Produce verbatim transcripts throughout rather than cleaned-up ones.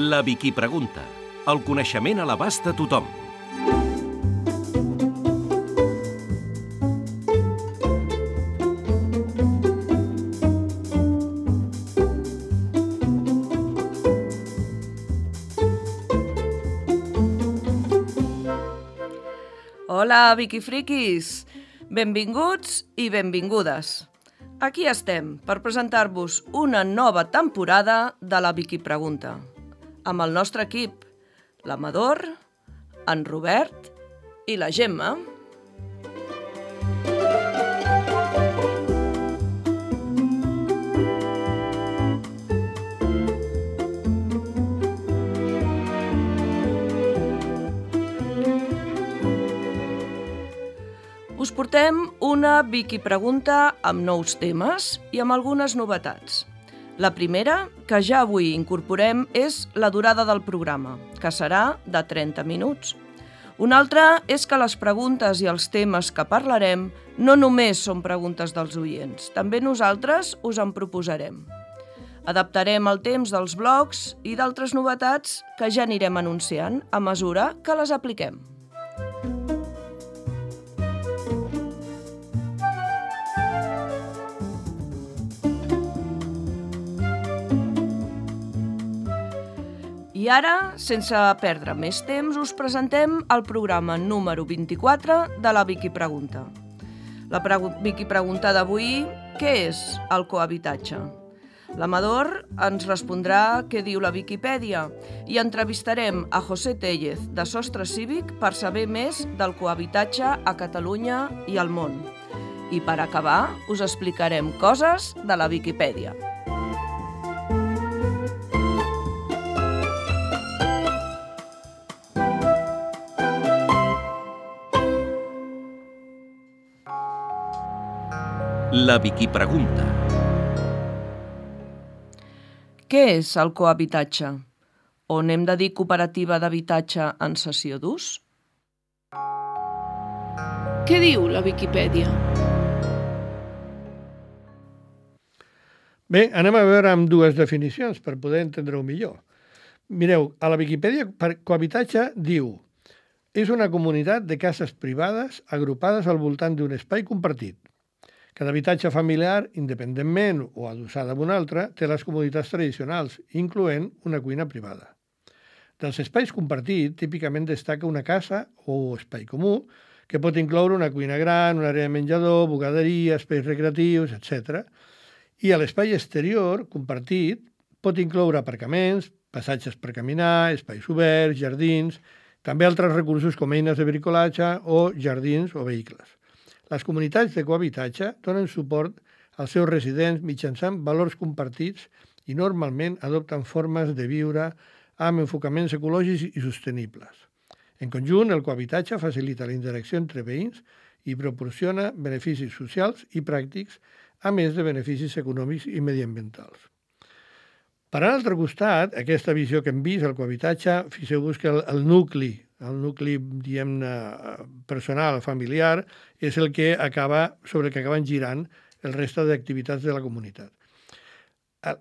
La Vicky Pregunta. El coneixement a l'abast de tothom. Hola, Vicky Friquis! Benvinguts i benvingudes. Aquí estem per presentar-vos una nova temporada de la Vicky Pregunta, amb el nostre equip, l'Amador, en Robert i la Gemma. Us portem una Vicky Pregunta amb nous temes i amb algunes novetats. La primera, que ja avui incorporem, és la durada del programa, que serà de trenta minuts. Una altra és que les preguntes i els temes que parlarem no només són preguntes dels oients, també nosaltres us en proposarem. Adaptarem el temps dels blogs i d'altres novetats que ja anirem anunciant a mesura que les apliquem. I ara, sense perdre més temps, us presentem el programa número vint-i-quatre de la Vicky Pregunta. La pre- Vicky Pregunta d'avui, què és el cohabitatge? L'Amador ens respondrà què diu la Viquipèdia i entrevistarem a José Tellez, de Sostre Cívic, per saber més del cohabitatge a Catalunya i al món. I per acabar, us explicarem coses de la Viquipèdia. La Vicky Pregunta. Què és el cohabitatge? O n'hem de dir cooperativa d'habitatge en cessió d'ús? Què diu la Viquipèdia? Bé, anem a veure amb dues definicions per poder entendre-ho millor. Mireu, a la Viquipèdia, cohabitatge diu: és una comunitat de cases privades agrupades al voltant d'un espai compartit. Cada habitatge familiar, independentment o adossada a un altre, té les comoditats tradicionals, incloent una cuina privada. Dels espais compartits, típicament destaca una casa o espai comú, que pot incloure una cuina gran, una àrea de menjador, bugaderia, espais recreatius, etcètera. I a l'espai exterior, compartit, pot incloure aparcaments, passatges per caminar, espais oberts, jardins, també altres recursos com eines de bricolatge o jardins o vehicles. Les comunitats de cohabitatge donen suport als seus residents mitjançant valors compartits i normalment adopten formes de viure amb enfocaments ecològics i sostenibles. En conjunt, el cohabitatge facilita la interacció entre veïns i proporciona beneficis socials i pràctics, a més de beneficis econòmics i mediambientals. Per a l'altre costat, aquesta visió que hem vist, el cohabitatge, fixeu-vos que el, el nucli, el nucli, diguem-ne, personal, familiar, és el que acaba, sobre el que acaben girant el reste d'activitats de la comunitat.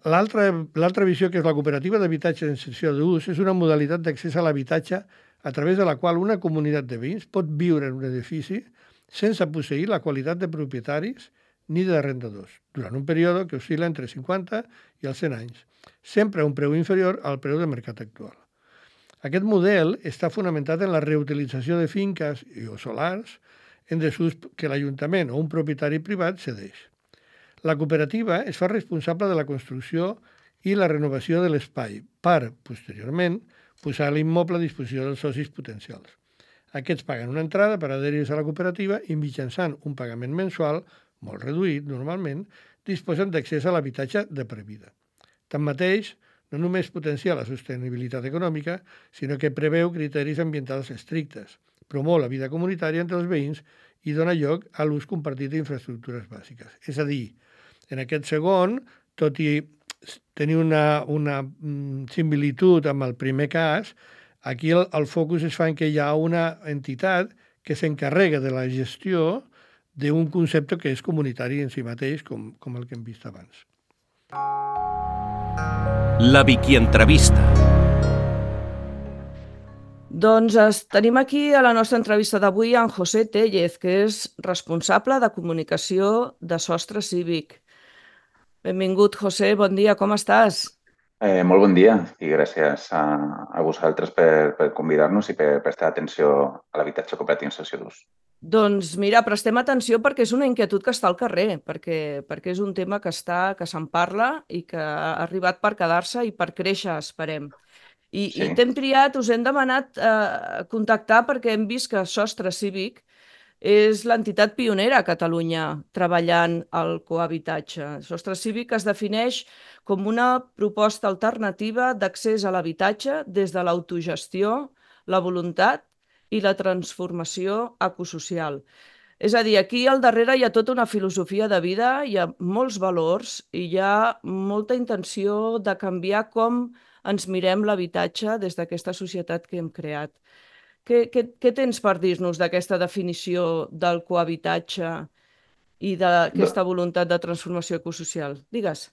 L'altra, l'altra visió, que és la cooperativa d'habitatge en cessió d'ús, és una modalitat d'accés a l'habitatge a través de la qual una comunitat de veïns pot viure en un edifici sense posseir la qualitat de propietaris ni d'arrendadors, durant un període que oscil·la entre cinquanta i els cent anys, sempre a un preu inferior al preu de mercat actual. Aquest model està fonamentat en la reutilització de finques o solars en desús que l'Ajuntament o un propietari privat cedeix. La cooperativa es fa responsable de la construcció i la renovació de l'espai per, posteriorment, posar l'immoble a disposició dels socis potencials. Aquests paguen una entrada per adherir-se a la cooperativa i mitjançant un pagament mensual, molt reduït normalment, disposen d'accés a l'habitatge de per vida. Tanmateix, no només potencia la sostenibilitat econòmica, sinó que preveu criteris ambientals estrictes, promou la vida comunitària entre els veïns i dona lloc a l'ús compartit d'infraestructures bàsiques. És a dir, en aquest segon, tot i tenir una, una similitud amb el primer cas, aquí el, el focus es fa en que hi ha una entitat que s'encarrega de la gestió d'un concepte que és comunitari en si mateix, com, com el que hem vist abans. La Vicky Entrevista. Doncs es, tenim aquí a la nostra entrevista d'avui en José Tellez, que és responsable de comunicació de Sostre Cívic. Benvingut, José, bon dia, com estàs? Eh, molt bon dia i gràcies a, a vosaltres per, per convidar-nos i per prestar atenció a l'habitatge cooperatiu en sessió d'ús. Doncs mira, prestem atenció perquè és una inquietud que està al carrer, perquè, perquè és un tema que està, que se'n parla i que ha arribat per quedar-se i per créixer, esperem. I, Sí. i t'hem triat, us hem demanat eh, contactar perquè hem vist que Sostre Cívic és l'entitat pionera a Catalunya treballant al cohabitatge. Sostre Cívic es defineix com una proposta alternativa d'accés a l'habitatge des de l'autogestió, la voluntat i la transformació ecosocial. És a dir, aquí al darrere hi ha tota una filosofia de vida, hi ha molts valors i hi ha molta intenció de canviar com ens mirem l'habitatge des d'aquesta societat que hem creat. Què, què, què tens per dir-nos d'aquesta definició del cohabitatge i Do- d'aquesta voluntat de transformació ecosocial? Digues.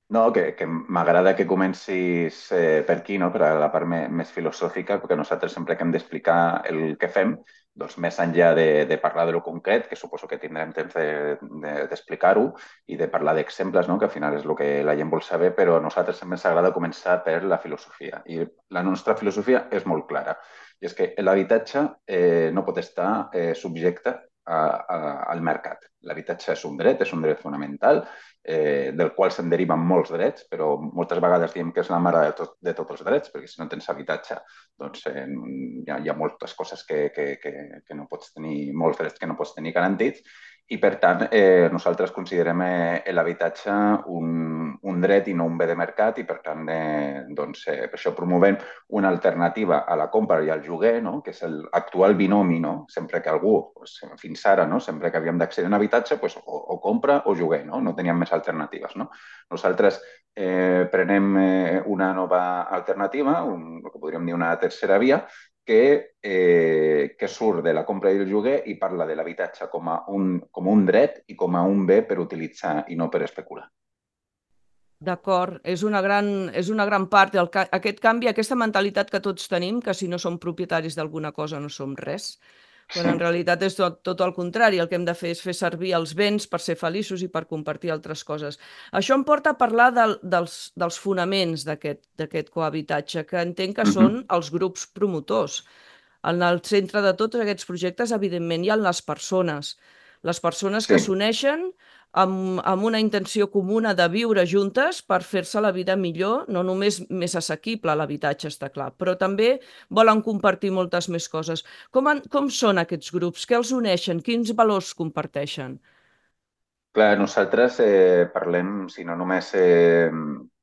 No, que, que m'agrada que comencis eh, per aquí, no? Per a la part me, més filosòfica, perquè nosaltres sempre que hem d'explicar el que fem, doncs més enllà de, de parlar de lo concret, que suposo que tindrem temps d'explicar-ho, de, de, i de parlar d'exemples, no? Que al final és el que la gent vol saber, però a nosaltres sempre ens agrada començar per la filosofia. I la nostra filosofia és molt clara. I és que l'habitatge eh, no pot estar eh, subjecte a, a, al mercat. L'habitatge és un dret, és un dret fonamental, eh, del qual se'n deriven molts drets, però moltes vegades diem que és la mare de, tot, de tots els drets, perquè si no tens habitatge doncs eh, hi, ha, hi ha moltes coses que, que, que, que no pots tenir, molts drets que no pots tenir garantits, i per tant eh, nosaltres considerem eh, l'habitatge un, un dret i no un bé de mercat, i per tant eh, doncs, eh, per això promovem una alternativa a la compra i al lloguer, no? Que és l'actual binomi, no? Sempre que algú, doncs, fins ara, no? Sempre que havíem d'accedir a un habitatge, doncs, o, o compra o lloguer, no? No teníem més alternatives, no? Nosaltres eh, prenem eh, una nova alternativa, un, el que podríem dir una tercera via, que, eh, que surt de la compra i el lloguer i parla de l'habitatge com, a un, com un dret i com a un bé per utilitzar i no per especular. D'acord, és una gran, és una gran part, el, aquest canvi, aquesta mentalitat que tots tenim, que si no som propietaris d'alguna cosa no som res, quan Sí. en realitat és tot, tot el contrari, el que hem de fer és fer servir els béns per ser feliços i per compartir altres coses. Això em porta a parlar del, dels, dels fonaments d'aquest cohabitatge, que entenc que Uh -huh. són els grups promotors. En el centre de tots aquests projectes, evidentment, hi ha les persones. Les persones Sí. que s'uneixen amb, amb una intenció comuna de viure juntes per fer-se la vida millor, no només més assequible l'habitatge, està clar, però també volen compartir moltes més coses. Com, han, com són aquests grups? Què els uneixen? Quins valors comparteixen? Clar, nosaltres eh, parlem, si no només eh,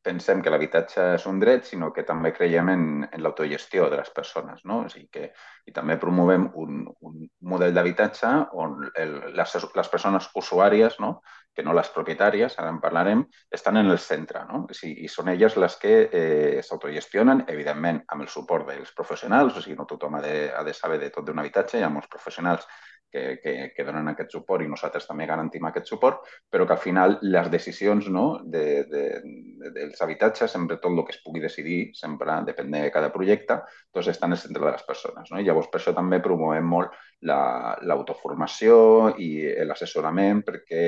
pensem que l'habitatge és un dret, sinó que també creiem en, en l'autogestió de les persones, no? O sigui que, i també promovem un, un model d'habitatge on el, les, les persones usuàries, no? Que no les propietàries, ara en parlarem, estan en el centre, no? O sigui, i són elles les que eh, s'autogestionen, evidentment, amb el suport dels professionals, o sigui, no tothom ha de, ha de saber de tot d'un habitatge, hi ha molts professionals que, que, que donen aquest suport i nosaltres també garantim aquest suport, però que al final les decisions, no, de, de, de, dels habitatges, sempre tot el que es pugui decidir, sempre depèn de cada projecte, doncs estan en el centre de les persones. No? I llavors per això també promovem molt l'autoformació la, i l'assessorament perquè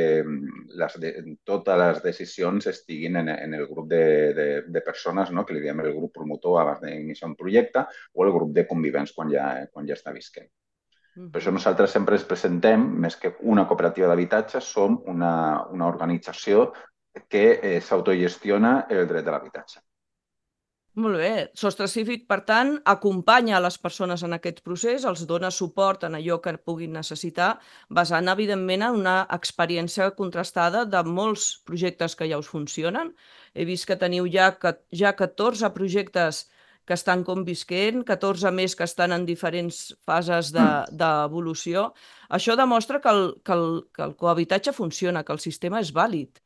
les de, totes les decisions estiguin en, en el grup de, de, de persones, no? Que li diem el grup promotor abans d'iniciar un projecte o el grup de convivents quan ja, quan ja està visquent. Per això nosaltres sempre ens presentem, més que una cooperativa d'habitatge, som una, una organització que eh, s'autogestiona el dret de l'habitatge. Molt bé. Sostre Cívic, per tant, acompanya a les persones en aquest procés, els dona suport en allò que puguin necessitar, basant, evidentment, en una experiència contrastada de molts projectes que ja us funcionen. He vist que teniu ja, ja catorze projectes que estan convisquent, catorze més que estan en diferents fases d'evolució. De, Això demostra que el, que, el, que el cohabitatge funciona, que el sistema és vàlid.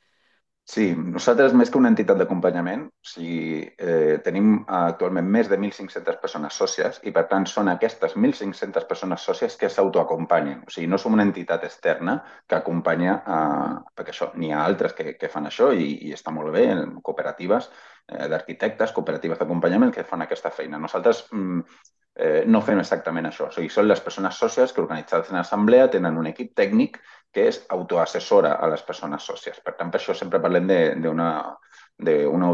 Sí, nosaltres més que una entitat d'acompanyament, o sigui, eh, tenim actualment més de mil cinc-centes persones sòcies i per tant són aquestes mil cinc-centes persones sòcies que s'autoacompanyen. O sigui, no som una entitat externa que acompanya, a, perquè això, n'hi ha altres que, que fan això i, i està molt bé, cooperatives eh, d'arquitectes, cooperatives d'acompanyament que fan aquesta feina. Nosaltres mm, eh, no fem exactament això. O sigui, són les persones sòcies que, organitzades en assemblea, tenen un equip tècnic que és autoassessora a les persones sòcies. Per tant, per això sempre parlem d'una d'una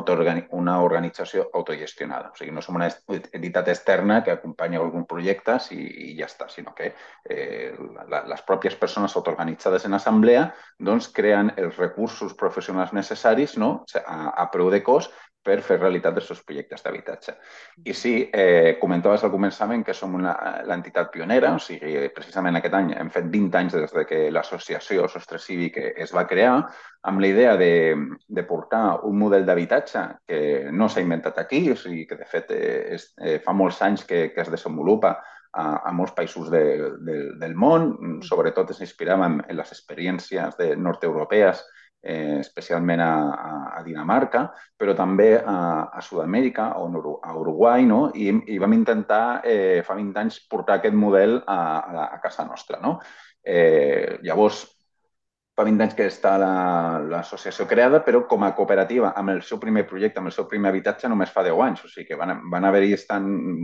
una organització autogestionada. O sigui, no som una entitat externa que acompanya algun projecte i, i ja està, sinó que eh, la, les pròpies persones autoorganitzades en assemblea doncs, creen els recursos professionals necessaris, no?, a, a preu de cost per fer realitat els seus projectes d'habitatge. I sí, eh, comentaves al començament que som l'entitat pionera, o sigui, precisament aquest any hem fet vint anys des de que l'associació Sostre Cívic es va crear, amb la idea de, de portar un model d'habitatge que no s'ha inventat aquí, o sigui, que de fet eh, és, eh, fa molts anys que, que es desenvolupa a, a molts països de, de, del món, sobretot ens inspiràvem en les experiències de nord-europees, eh, especialment a, a Dinamarca, però també a, a Sud-amèrica, a Uruguai, no? I, i vam intentar eh, fa vint anys portar aquest model a, a, a casa nostra. No? Eh, llavors, fa vint anys que està l'associació la, creada, però com a cooperativa, amb el seu primer projecte, amb el seu primer habitatge, només fa deu anys. O sigui que van, van haver-hi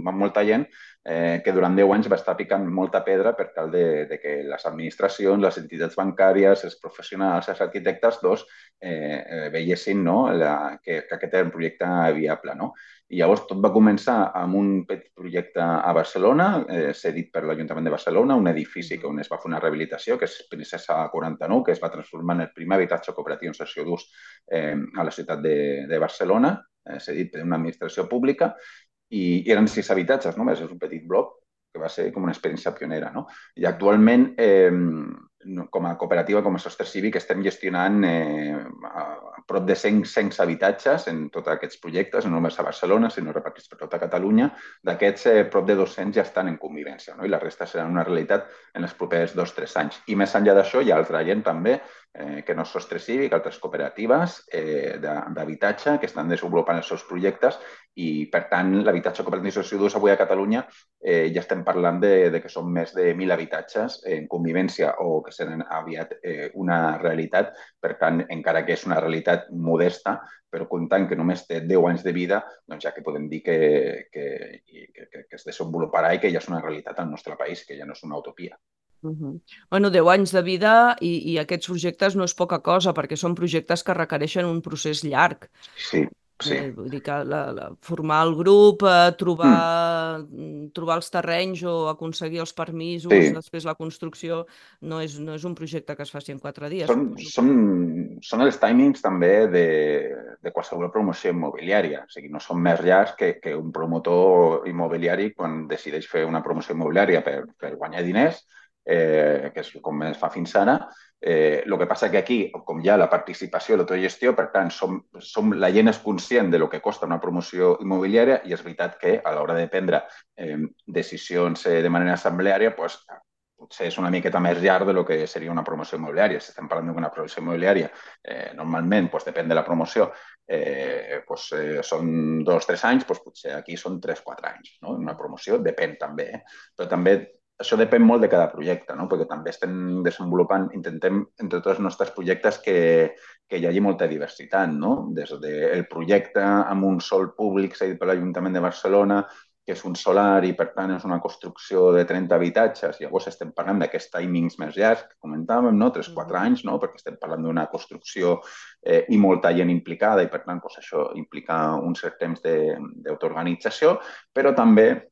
molta gent eh, que durant deu anys va estar picant molta pedra per tal de, de que les administracions, les entitats bancàries, els professionals, els arquitectes, doncs, eh, eh, veiessin, no?, la, que, que aquest era un projecte viable. No? I llavors tot va començar amb un petit projecte a Barcelona, eh, cedit per l'Ajuntament de Barcelona, un edifici on es va fer una rehabilitació, que és Princesa quaranta-nou, que es va transformar en el primer habitatge cooperatiu en cessió d'ús eh, a la ciutat de, de Barcelona, eh, cedit per una administració pública, i eren sis habitatges només, és un petit bloc, que va ser com una experiència pionera. No? I actualment, eh, com a cooperativa, com a Sostre Cívic, estem gestionant eh, a prop de cent, cent habitatges en tots aquests projectes, no només a Barcelona, sinó repartits per tota Catalunya. D'aquests, eh, prop de dos-cents ja estan en convivència, no? I la resta serà una realitat en els propers dos o tres anys. I més enllà d'això, hi ha altra gent també, eh, que no és Sostre Cívic, altres cooperatives eh, d'habitatge que estan desenvolupant els seus projectes i, per tant, l'habitatge cooperatiu de cessió d'ús avui a Catalunya eh, ja estem parlant de, de que són més de mil habitatges en convivència o que seran aviat eh, una realitat. Per tant, encara que és una realitat modesta, però comptant que només té deu anys de vida, doncs ja que podem dir que, que, que, que es desenvoluparà i que ja és una realitat al nostre país, que ja no és una utopia. Uh -huh. Bueno, deu anys de vida i, i aquests projectes no és poca cosa, perquè són projectes que requereixen un procés llarg. Sí, sí. Eh, vull dir que la, la, formar el grup, eh, trobar, mm. trobar els terrenys o aconseguir els permisos, sí. Després la construcció, no és, no és un projecte que es faci en quatre dies. Són, són, són els timings també de, de qualsevol promoció immobiliària. O sigui, no són més llargs que, que un promotor immobiliari quan decideix fer una promoció immobiliària per, per guanyar diners, eh, que és com es fa fins ara. Eh, el que passa que aquí, com hi ha la participació i l'autogestió, per tant, som, som, la gent és conscient de lo que costa una promoció immobiliària i és veritat que a l'hora de prendre eh, decisions eh, de manera assembleària, pues, potser és una miqueta més llarg de lo que seria una promoció immobiliària. Si estem parlant d'una promoció immobiliària, eh, normalment, pues, depèn de la promoció, eh, pues, eh, són dos o tres anys, pues, potser aquí són tres o quatre anys. No? Una promoció depèn també, eh? Però també això depèn molt de cada projecte, no? Perquè també estem desenvolupant, intentem, entre tots els nostres projectes, que, que hi hagi molta diversitat, no? Des del projecte amb un sòl públic cedit per l'Ajuntament de Barcelona, que és un solar i, per tant, és una construcció de trenta habitatges. Llavors estem parlant d'aquests timings més llargs que comentàvem, no? tres o quatre anys, no? Perquè estem parlant d'una construcció eh, i molta gent implicada i, per tant, doncs, això implica un cert temps d'autoorganització, però també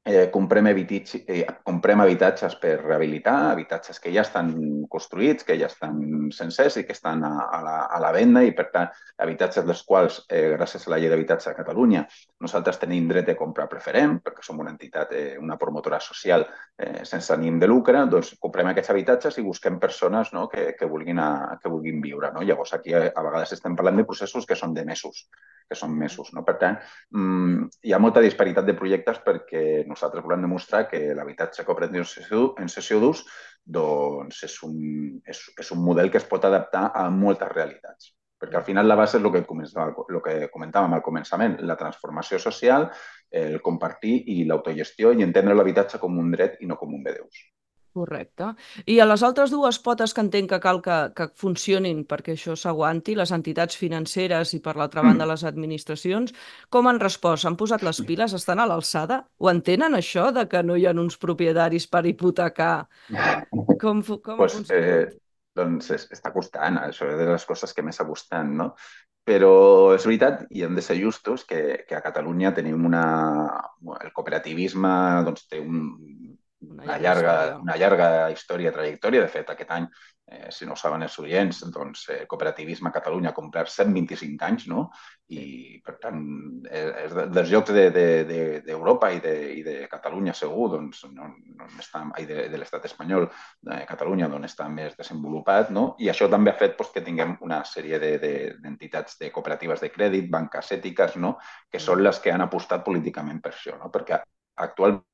Eh, comprem, habitatge, eh, comprem habitatges per rehabilitar, habitatges que ja estan construïts, que ja estan sencers i que estan a, a, la, a la venda i, per tant, habitatges dels quals, eh, gràcies a la llei d'habitatge de Catalunya, nosaltres tenim dret de compra preferent, perquè som una entitat, eh, una promotora social eh, sense ànim de lucre, doncs comprem aquests habitatges i busquem persones, no?, que, que, vulguin a, que vulguin viure. No? Llavors, aquí a, a vegades estem parlant de processos que són de mesos, que són mesos. No? Per tant, mmm, hi ha molta disparitat de projectes perquè nosaltres volem demostrar que l'habitatge cooperatiu en cessió d'ús doncs és, un, és, és un model que es pot adaptar a moltes realitats. Perquè al final la base és el que, el que comentàvem al començament, la transformació social, el compartir i l'autogestió i entendre l'habitatge com un dret i no com un bé d'ús. Correcte. I a les altres dues potes que entenc que cal que, que funcionin perquè això s'aguanti, les entitats financeres i per l'altra banda Mm. les administracions, com han respost? S'han posat les piles? Estan a l'alçada? Ho entenen això de que no hi ha uns propietaris per hipotecar? Com, fu- com ha Pues, eh, funcionat? doncs es- està costant, això és de les coses que més està costant, no? Però és veritat, i hem de ser justos, que, que a Catalunya tenim una... El cooperativisme doncs, té un, Una una, llarga llarga, història. una llarga història, trajectòria. De fet, aquest any, eh, si no ho saben els oients, doncs, eh, cooperativisme a Catalunya ha complert cent vint-i-cinc anys, no? Sí. I, per tant, eh, és de, dels llocs d'Europa de, de, de, i, de, i de Catalunya segur, doncs, no, no està, ai, de, de l'estat espanyol, de Catalunya, d'on està més desenvolupat, no? I això també ha fet doncs, que tinguem una sèrie d'entitats de, de, de cooperatives de crèdit, banques ètiques, no? Que són les que han apostat políticament per això, no? Perquè actualment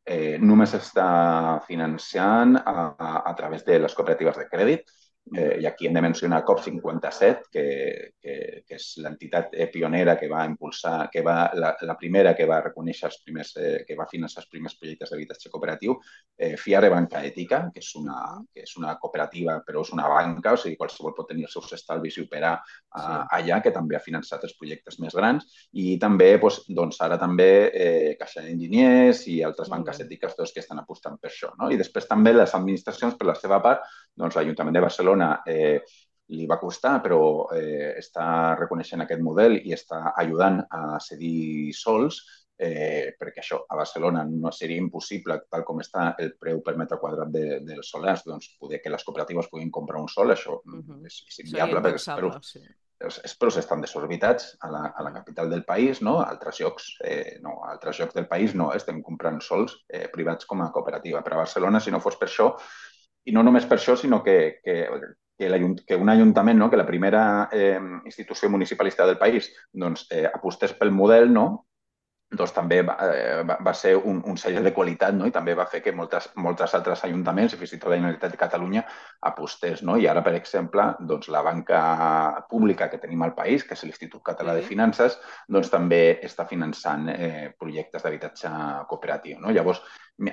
eh, només està financiant a, a, a través de les cooperatives de crèdit. Eh, I aquí hem de mencionar COP cinquanta-set, que, que, que és l'entitat eh, pionera que va impulsar, que va, la, la primera que va reconèixer els primers, eh, que va finançar els primers projectes d'habitatge cooperatiu, eh, Fiare Banca Ètica, que és, una, que és una cooperativa, però és una banca, o sigui, qualsevol pot tenir els seus estalvis i operar eh, Sí. allà, que també ha finançat els projectes més grans, i també, doncs, doncs ara també eh, Caixa d'Enginyers i altres Molt banques bé. ètiques doncs, que estan apostant per això, no? I després també les administracions, per la seva part, doncs l'Ajuntament de Barcelona eh, li va costar, però eh, està reconeixent aquest model i està ajudant a cedir sols, eh, perquè això a Barcelona no seria impossible, tal com està el preu per metre quadrat de, dels solars, doncs poder que les cooperatives puguin comprar un sol, això Uh -huh. és, és Seria inviable, perquè els impensable, preus, sí. els, els preus estan desorbitats a la, a la capital del país, no? A altres llocs, eh, no, a altres llocs del país no, estem comprant sols eh, privats com a cooperativa. Però a Barcelona, si no fos per això, i no només per això, sinó que, que, que, que un ajuntament, no? Que la primera eh, institució municipalista del país doncs, eh, apostés pel model, no? Doncs també va, eh, va, va ser un, un sell de qualitat, no? I també va fer que moltes, moltes altres ajuntaments, i fins i tot la Generalitat de Catalunya, apostés, no? I ara, per exemple, doncs, la banca pública que tenim al país, que és l'Institut Català de Sí. Finances, doncs també està finançant eh, projectes d'habitatge cooperatiu, no? Llavors,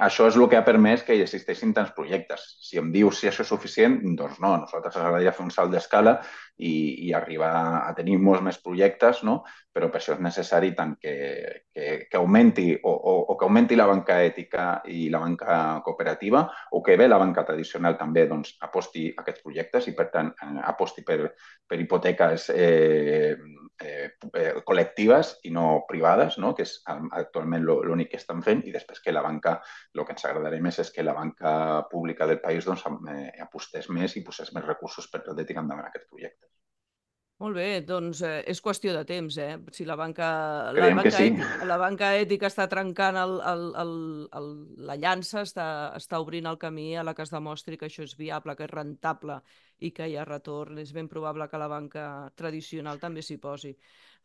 això és el que ha permès que hi existeixin tants projectes. Si em dius si això és suficient, doncs no. A nosaltres ens agradaria fer un salt d'escala i, i arribar a tenir molts més projectes, no? Però per això és necessari tant que, que, que augmenti o, o, o que augmenti la banca ètica i la banca cooperativa, o que bé la banca tradicional també doncs, aposti a aquests projectes i, per tant, eh, aposti per, per hipoteques eh, eh, eh, col·lectives i no privades, no? Que és actualment l'únic que estan fent, i després que la banca, el que ens agradaria més és que la banca pública del país doncs, eh, apostés més i posés més recursos per poder tirar endavant aquests projectes. Molt bé, doncs eh, és qüestió de temps, eh? Si la banca, la Creiem que banca, sí. ètica, la banca ètica està trencant el, el, el, el, la llança, està, està obrint el camí a la que es demostri que això és viable, que és rentable i que hi ha retorn. És ben probable que la banca tradicional també s'hi posi.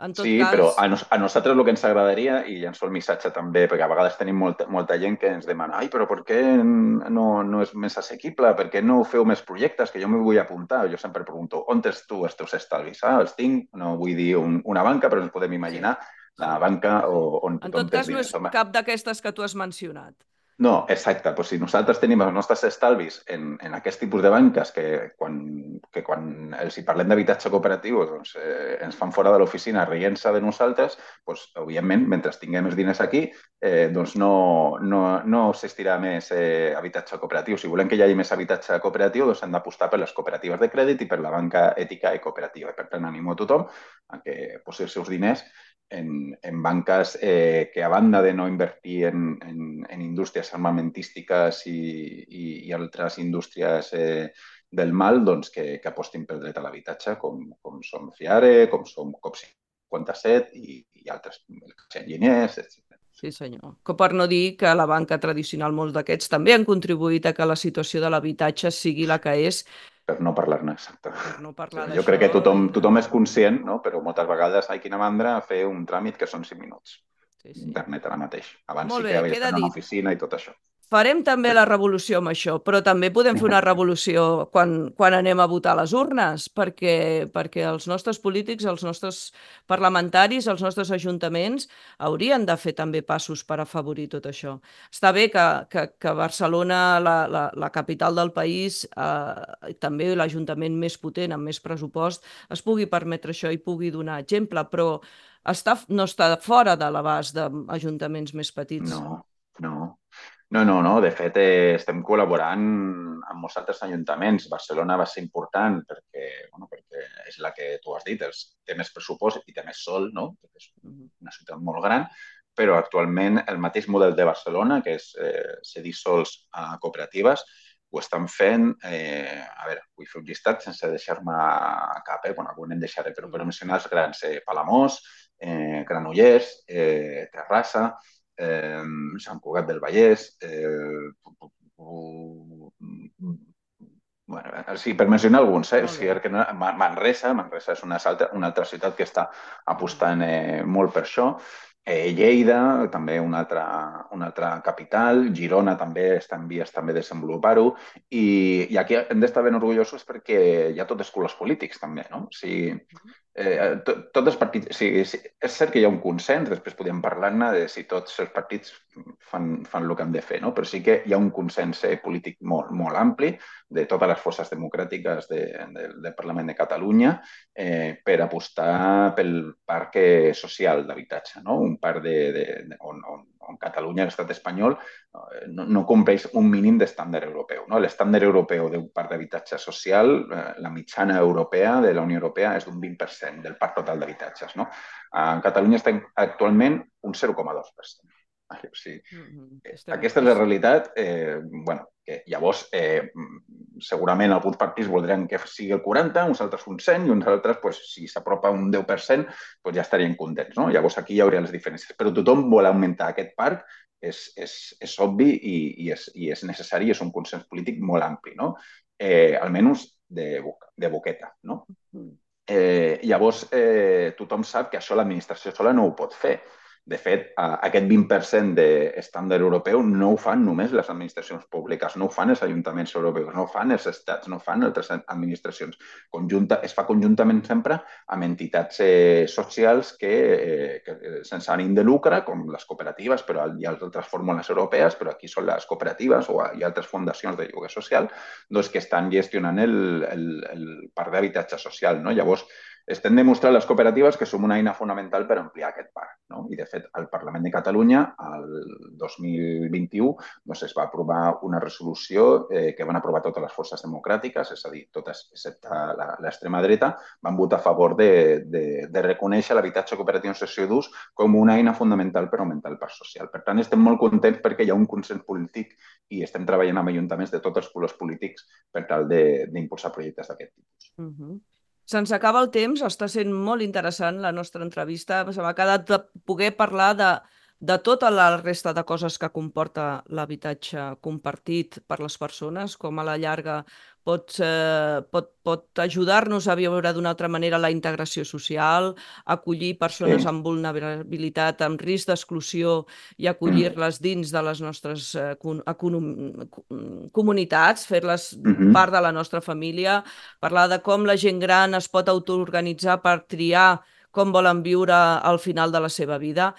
En tot Sí, però cas, a, nos, a nosaltres el que ens agradaria, i llanço el missatge també, perquè a vegades tenim molta, molta gent que ens demana ai, però per què no, no és més assequible? Per què no feu més projectes? Que jo m'hi vull apuntar. Jo sempre pregunto, on tens tu els teus estalvis? Ah, els tinc, no vull dir un, una banca, però ens podem sí, imaginar la sí, banca sí. o, on En tothom tot té els cas, no diners. és Home, cap d'aquestes que tu has mencionat. no, exacte. Pues si nosaltres tenim els nostres estalvis en, en aquest tipus de banques que quan, que quan els hi parlem d'habitatge cooperatiu doncs, eh, ens fan fora de l'oficina rient-se de nosaltres, doncs, evidentment, mentre tinguem els diners aquí, eh, doncs no, no, no s'estirà més eh, habitatge cooperatiu. Si volem que hi hagi més habitatge cooperatiu, doncs hem d'apostar per les cooperatives de crèdit i per la banca ètica i cooperativa. I per tant, animo a tothom a que posi els seus diners en, en banques eh, que, a banda de no invertir en, en, en indústries armamentístiques i, i, i altres indústries eh, del mal, doncs que, que apostin pel dret a l'habitatge, com, com som Fiare, com som COP cinquanta-set i, i altres, enginyers, etcètera. Sí, senyor. Que per no dir que la banca tradicional, molts d'aquests, també han contribuït a que la situació de l'habitatge sigui la que és, Per no parlar-ne, exacte. per no Sí, parlar jo d'això crec que tothom, i de... tothom és conscient, no? Però moltes vegades hi quina mandra fer un tràmit que són cinc minuts. Sí, sí. Internet ara mateix. Abans Molt sí bé, que havies queda d'anar a una dit. oficina i tot això. Farem també la revolució amb això, però també podem fer una revolució quan, quan anem a votar a les urnes, perquè, perquè els nostres polítics, els nostres parlamentaris, els nostres ajuntaments haurien de fer també passos per afavorir tot això. Està bé que, que, que Barcelona, la, la, la capital del país, eh, també l'ajuntament més potent, amb més pressupost, es pugui permetre això i pugui donar exemple, però està, no està fora de l'abast d'ajuntaments més petits. No, no. No, no, no. De fet, eh, estem col·laborant amb molts altres ajuntaments. Barcelona va ser important perquè, bueno, perquè és la que tu has dit, els, té més pressupost i té més sol, no? Perquè és una ciutat molt gran, però actualment el mateix model de Barcelona, que és eh, cedir sols a cooperatives, ho estan fent, eh, a veure, vull fer un llistat sense deixar-me cap, eh? Bueno, algun en deixaré, però per mencionar els grans, eh, Palamós, eh, Granollers, eh, Terrassa, eh, Sant Cugat del Vallès, eh, bueno, sí, per mencionar alguns, eh? Sí, que no, Manresa, Manresa és una altra, una altra ciutat que està apostant eh, molt per això. Eh, Lleida, també una altra, una altra capital, Girona també està en vies també de desenvolupar-ho, i, i aquí hem d'estar ben orgullosos perquè hi ha tots els colors polítics també, no? O sigui, eh, tot, tots els partits... O sigui, és cert que hi ha un consens, després podem parlar-ne de si tots els partits fan, fan el que han de fer, no? Però sí que hi ha un consens eh, polític molt, molt ampli de totes les forces democràtiques de, de, del Parlament de Catalunya eh, per apostar pel parc social d'habitatge, no? Un parc de, de, de, on, on, on Catalunya, l'estat espanyol, no, no compleix un mínim d'estàndard europeu. No? L'estàndard europeu d'un parc d'habitatge social, eh, la mitjana europea de la Unió Europea és d'un vint per cent del parc total d'habitatges. No? En Catalunya està actualment un zero coma dos per cent. O sigui, mm-hmm. Aquesta és la realitat. Eh, bueno, que llavors, eh, segurament alguns partits voldran que sigui el quaranta, uns altres un cent i uns altres, pues, si s'apropa un deu per cent, pues ja estarien contents. No? Llavors aquí hi hauria les diferències. Però tothom vol augmentar aquest parc, és, és, és obvi i, i, és, i és necessari, és un consens polític molt ampli, no? Eh, almenys de, de boqueta. No? Eh, llavors, eh, tothom sap que això l'administració sola no ho pot fer. De fet, aquest vint per cent d'estàndard europeu no ho fan només les administracions públiques, no ho fan els ajuntaments europeus, no ho fan els estats, no ho fan altres administracions. Conjunta, es fa conjuntament sempre amb entitats eh, socials que, eh, que sense ànim de lucre, com les cooperatives, però hi ha altres fórmules europees, però aquí són les cooperatives o hi ha altres fundacions de lloguer social, doncs que estan gestionant el, el, el parc d'habitatge social. No? Llavors, estem demostrant les cooperatives que som una eina fonamental per ampliar aquest parc. No? I, de fet, al Parlament de Catalunya, el dos mil vint-i-u, doncs, es va aprovar una resolució eh, que van aprovar totes les forces democràtiques, és a dir, totes, excepte l'extrema dreta, van votar a favor de, de, de reconèixer l'habitatge cooperatiu en cessió d'ús com una eina fonamental per augmentar el parc social. Per tant, estem molt contents perquè hi ha un consens polític i estem treballant amb ajuntaments de tots els colors polítics per tal d'impulsar projectes d'aquest tipus. Uh-huh. Se'ns acaba el temps, està sent molt interessant la nostra entrevista. Se m'ha quedat de poder parlar de, de tota la resta de coses que comporta l'habitatge compartit per les persones, com a la llarga pot, eh, pot, pot ajudar-nos a viure d'una altra manera la integració social, acollir persones sí. amb vulnerabilitat, amb risc d'exclusió i acollir-les dins de les nostres eh, comunitats, fer-les mm-hmm. part de la nostra família, parlar de com la gent gran es pot autoorganitzar per triar com volen viure al final de la seva vida.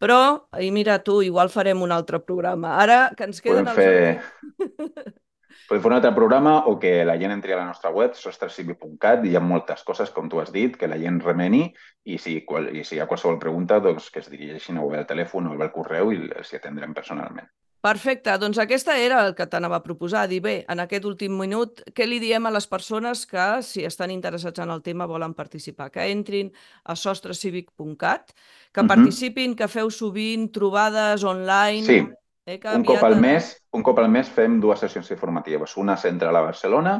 Però, i mira tu, igual farem un altre programa. Ara que ens queden els... Fer... Podem fer un altre programa o que la gent entri a la nostra web, sostrecivic punt cat, i hi ha moltes coses, com tu has dit, que la gent remeni, i si, qual, i si hi ha qualsevol pregunta, doncs que es dirigeixin o bé al telèfon o bé al correu i els atendrem personalment. Perfecte, doncs aquesta era el que t'anava a proposar, dir bé, en aquest últim minut, què li diem a les persones que, si estan interessats en el tema, volen participar? Que entrin a sostrecivic punt cat, que uh-huh. participin, que feu sovint trobades online... Sí, eh, que un, cop al mes, un cop al mes fem dues sessions informatives, una central a Barcelona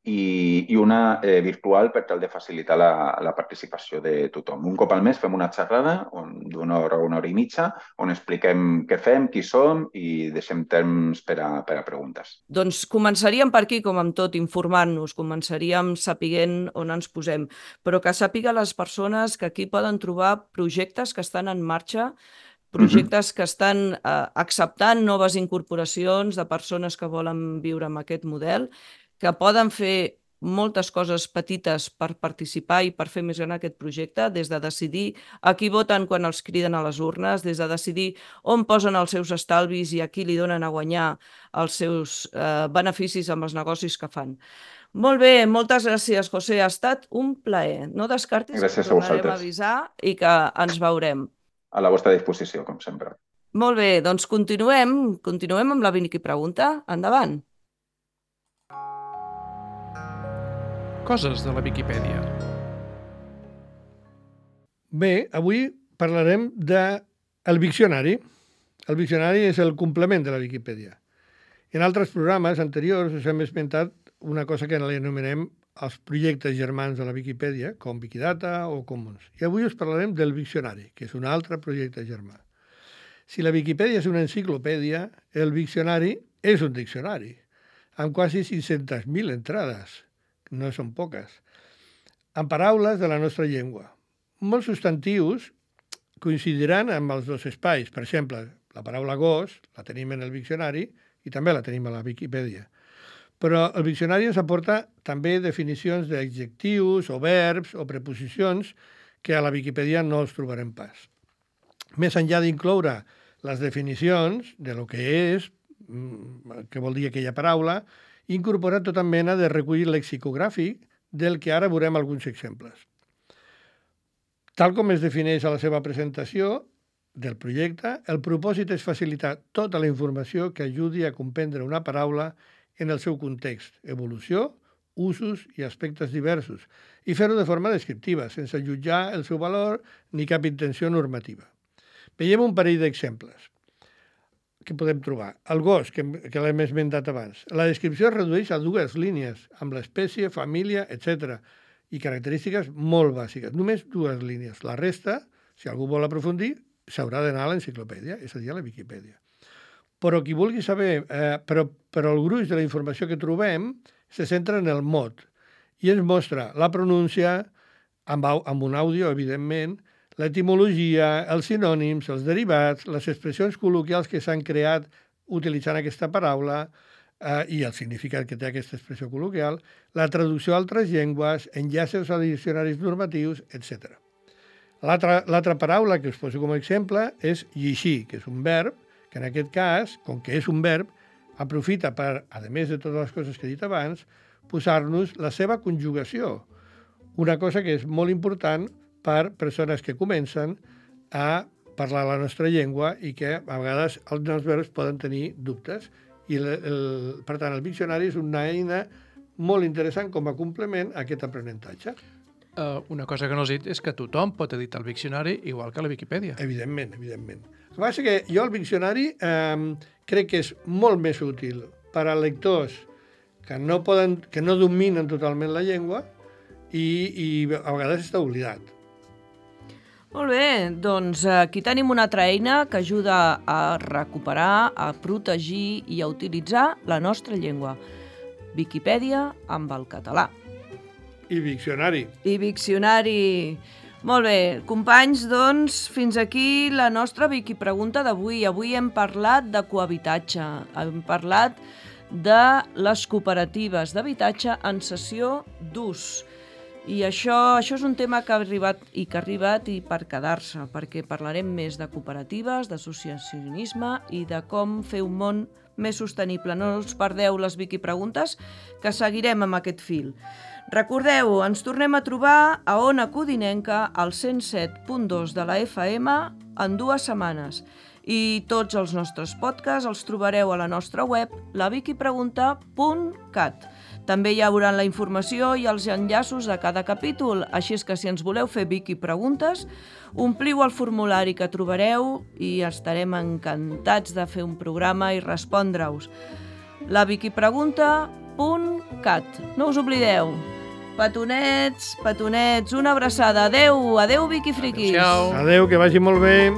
i, i una eh, virtual per tal de facilitar la, la participació de tothom. Un cop al mes fem una xerrada d'una hora o una hora i mitja on expliquem què fem, qui som i deixem temps per a, per a preguntes. Doncs començaríem per aquí, com amb tot, informant-nos, començaríem sapiguent on ens posem, però que sàpiga les persones que aquí poden trobar projectes que estan en marxa projectes que estan eh, acceptant noves incorporacions de persones que volen viure amb aquest model, que poden fer moltes coses petites per participar i per fer més gran aquest projecte, des de decidir a qui voten quan els criden a les urnes, des de decidir on posen els seus estalvis i a qui li donen a guanyar els seus eh, beneficis amb els negocis que fan. Molt bé, moltes gràcies, José. Ha estat un plaer. No descartis Gràcies que a tornarem a vosaltres. avisar i que ens veurem. A la vostra disposició, com sempre. Molt bé, doncs continuem, continuem amb la Vicky Pregunta. Endavant. Coses de la Viquipèdia. Bé, avui parlarem del Viccionari. El Viccionari és el complement de la Viquipèdia. En altres programes anteriors us hem esmentat una cosa que anomenem els projectes germans de la Viquipèdia, com Wikidata o Commons. I avui us parlarem del Viccionari, que és un altre projecte germà. Si la Viquipèdia és una enciclopèdia, el Viccionari és un diccionari, amb quasi cinc-centes mil entrades, no són poques, amb paraules de la nostra llengua. Molts substantius coincidiran amb els dos espais. Per exemple, la paraula gos la tenim en el Viccionari i també la tenim a la Viquipèdia. Però el Viccionari ens aporta també definicions d'adjectius o verbs o preposicions que a la Viquipèdia no els trobarem pas. Més enllà d'incloure les definicions de lo que és, què vol dir aquella paraula, incorpora tota mena de recull lexicogràfic del que ara veurem alguns exemples. Tal com es defineix a la seva presentació del projecte, el propòsit és facilitar tota la informació que ajudi a comprendre una paraula en el seu context, evolució, usos i aspectes diversos, i fer-ho de forma descriptiva, sense jutjar el seu valor ni cap intenció normativa. Veiem un parell d'exemples que podem trobar. El gos, que, que l'hem esmentat abans. La descripció es redueix a dues línies, amb l'espècie, família, etcètera, i característiques molt bàsiques. Només dues línies. La resta, si algú vol aprofundir, s'haurà d'anar a l'enciclopèdia, és a dir, a la Viquipèdia. Però qui vulgui saber, eh, però, però el gruix de la informació que trobem se centra en el mot i ens mostra la pronúncia, amb, amb un àudio, evidentment, l'etimologia, els sinònims, els derivats, les expressions col·loquials que s'han creat utilitzant aquesta paraula eh, i el significat que té aquesta expressió col·loquial, la traducció a altres llengües, enllaços a diccionaris normatius, etcètera. L'altra paraula que us poso com a exemple és llegir, que és un verb, que en aquest cas, com que és un verb, aprofita per, a més de totes les coses que he dit abans, posar-nos la seva conjugació. Una cosa que és molt important per persones que comencen a parlar la nostra llengua i que a vegades els verbs poden tenir dubtes. I el, el, per tant, el Viccionari és una eina molt interessant com a complement a aquest aprenentatge. Uh, una cosa que no has dit és que tothom pot editar el Viccionari igual que la Viquipèdia. Evidentment, evidentment. El que passa és que jo el Viccionari eh, crec que és molt més útil per a lectors que no, poden, que no dominen totalment la llengua i, i a vegades està oblidat. Molt bé, doncs aquí tenim una altra eina que ajuda a recuperar, a protegir i a utilitzar la nostra llengua. Viquipèdia amb el català. I Viccionari. I Viccionari. Molt bé, companys, doncs, fins aquí la nostra Viquipregunta d'avui. Avui hem parlat de cohabitatge, hem parlat de les cooperatives d'habitatge en cessió d'ús. I això, això és un tema que ha arribat i que ha arribat i per quedar-se, perquè parlarem més de cooperatives, d'associacionisme i de com fer un món més sostenible. No us perdeu les Viquipreguntes, que seguirem amb aquest fil. Recordeu, ens tornem a trobar a Ona Codinenca al cent set punt dos de la F M en dues setmanes. I tots els nostres podcasts els trobareu a la nostra web, la viquipregunta punt cat. També hi haurà la informació i els enllaços de cada capítol, així és que si ens voleu fer Viquipreguntes, ompliu el formulari que trobareu i estarem encantats de fer un programa i respondre-us. la viquipregunta punt cat. No us oblideu. Petonets, petonets, una abraçada. Adeu, adeu, Viquifriquis. Adéu-siau. Adeu, que vagi molt bé.